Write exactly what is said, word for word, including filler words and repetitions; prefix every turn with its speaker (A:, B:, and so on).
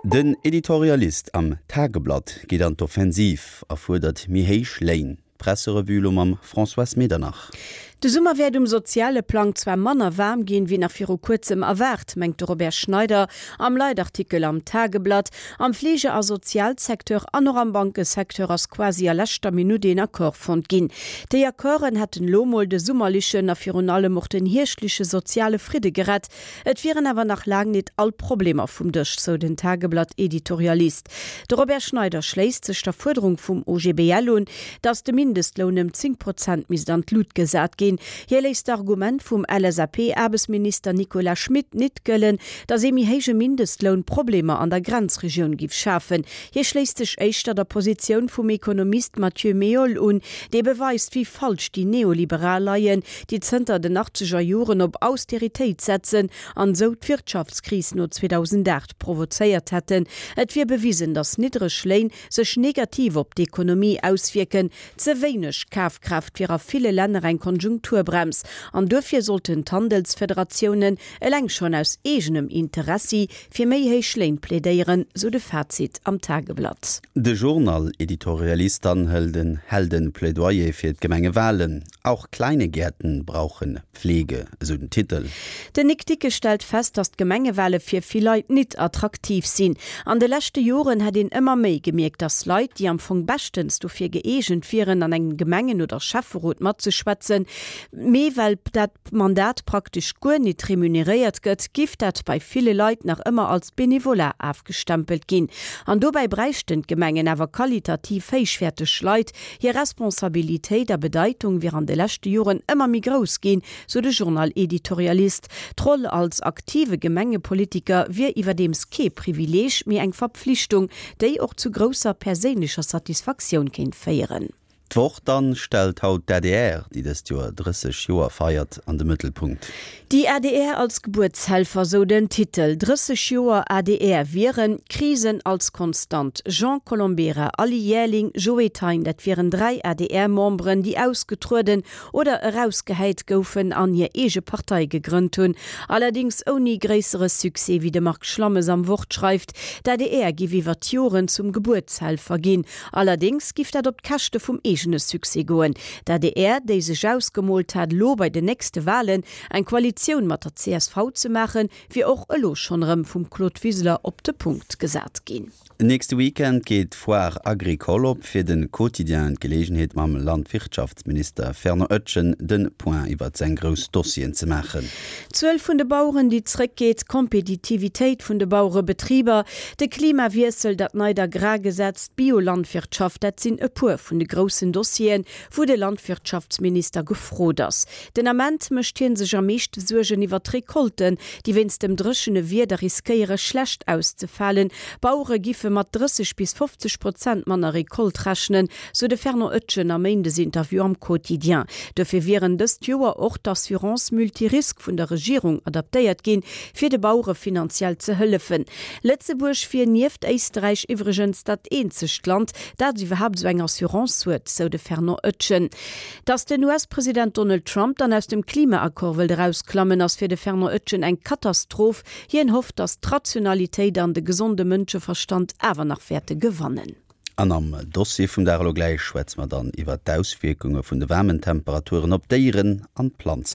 A: Den Editorialist am Tageblatt geet an d'Offensiv a fuerdert méi héich Léin. D'Presserevue elo mam Françoise Medernach.
B: De Summer wäert um soziale Plang zwar manner waarm ginn, wéi nach viru kuerzem erwaart, mengt de Robert Schneider am Leitartikel am Tageblatt. Am Fleege a Sozialsecteur an och am Bankesecteur ass quasi a leschter Minutt een Accord fonnt ginn. Déi Accorden hätten elo mol de summerlechen a virun allem och den hierschtleche soziale Fridde gerett. Et wieren awer nach laang net all Problemer vum Dësch, sou den Tageblatt-Editorialist. De Robert Schneider schléisst sech der Fuerderung vum O G B L un, datt de Mindestloun ëm zéng Prozent misst an d'Lut gesat ginn. Hie léisst d'Argument vum L S A P-Aarbechtsminister Nicolas Schmit nit gëllen, datt ee méi héije Mindestloun Problemer an der Grenzregioun giff schafen. Hie schléisst sech éischter der Positioun vum Ekonomist Mathieu Meol un, dee beweist, wéi falsch déi Neoliberal leien, déi zënter den achtzeger Joren op Austeritéit setzen an esou d'Wirtschaftskris no zweedausendaacht provozéiert hätten. Et wier bewisen, datt niddreg Léin sech negativ op d'Ekonomie auswierken. Ze wéineg Kafkraaft wier a ville Länner eng Konjunkturbrems an duerfir sollten d'Handelsfederatiounen eleng schonn aus eegenem Interessi fir méi héich Léin plädéieren, sou de Fazit am Tageblatt.
A: De Journal-Editorialist dann hält en hält e Plädoyer fir d'Gemengewalen. Auch kleine Gärten brauchen Pflege, esou den Titel.
B: Den Nic Dicke stellt fest, datt d'Gemengewale fir vill Leit nit attraktiv sinn. An de leschte Joren hätt een ëmmer méi gemierkt, datt Leit, déi am Fong beschtens dofir gëeegent wieren, an engem Gemengen oder Schäfferot matzeschwätzen, mee well dat Mandat praktesch guer nit remuneréiert gëtt, giff dat bei ville Leit nach ëmmer als Benevolat afgestempelt ginn. An dobäi bräichten d'Gemengen awer qualitativ héichwäerteg Leit. Hir Responsabilitéit a Bedeitung wier an de leschte Joren ëmmer méi grouss ginn, sou de Journal-Editorialist. D'Roll als aktive Gemengepolitiker wier iwwerdeems kee Privileeg, mee eng Verpflichtung, déi och zu grousser perséinlecher Satisfaktioun kéint féieren.
A: D'Wort dann stellt haut d'A D R, déi dëst Joer drësseg Joer feiert, an de Mëttelpunkt.
B: Die A D R als Geburtshelfer, sou den Titel. drësseg Joer A D R wieren Krisen als Konstant. Jean Colombera, Aly Jaerling, Joe Thein, dat wieren dräi A D R-Memberen, déi ausgetrueden oder erausgehäit goufen an hir eege Partei gegrënnt hunn. Allerdéngs ouni gréissere Succès, wéi de Marc Schlammes am Wort schreift. D'A D R giff iwwer d'Joren zum Gebuertshelfer ginn. Allerdéngs giff dat op d'Käschte vum eegene Succès goen. D'A D R, déi sech ausgemoolt hat, lo bei den nächste Walen eng Koalitioun mat der C S V ze maachen, wier och elo schonn erëm vum Claude Wiseler op de Punkt gesat ginn.
A: Nächste Weekend geet d'Foire Agricole op. Fir de Quotidien d'Geleegenheet mam Landwirtschaftsminister Fernand Etgen de Point iwwer seng grouss Dossieren ze maachen.
B: D'Zuel vun de Baueren, déi zréckgeet, d'Kompetitivitéit vun de Bauerebetriber, de Klimawiessel, dat neit Agrargesetz, d'Biolandwirtschaft, dat sinn e puer vun de groussen Dossieren, wou de Landwirtschaftsminister gefrot ass. Den Ament mécht hie sech am meeschte Suergen iwwer d'Recolten, déi wéinst dem dréchene Wieder riskéiere schlecht auszefalen. Bauere giffe mat drësseg bis fofzeg Prozent manner Recolte rechnen, sou de Fernand Etgen am Méindesinterview am Quotidien. Dofir wieren dëst Joer och d'Assurance multirisque vun der Regierung adaptéiert ginn, fir de Bauere finanziell ze hëllefen. Lëtzebuerg wier nieft Éisträich iwwregens dat eenzegt Land, dat iwwerhaapt sou eng Assurance huet, sou de Fernand Etgen. Datt den U S-President Donald Trump dann aus dem Klimaaccord wëllt erausklammen, ass fir de Fernand Etgen eng Katastroph. Hien hofft, datt d'Rationalitéit an de gesonde Mënscheverstand awer nach wäerte gewannen.
A: An am Dossier vum Dag elo gläich schwätze mer dann iwwer d'Auswierkunge vun de waarmen Temperaturen op Déieren an Planzen.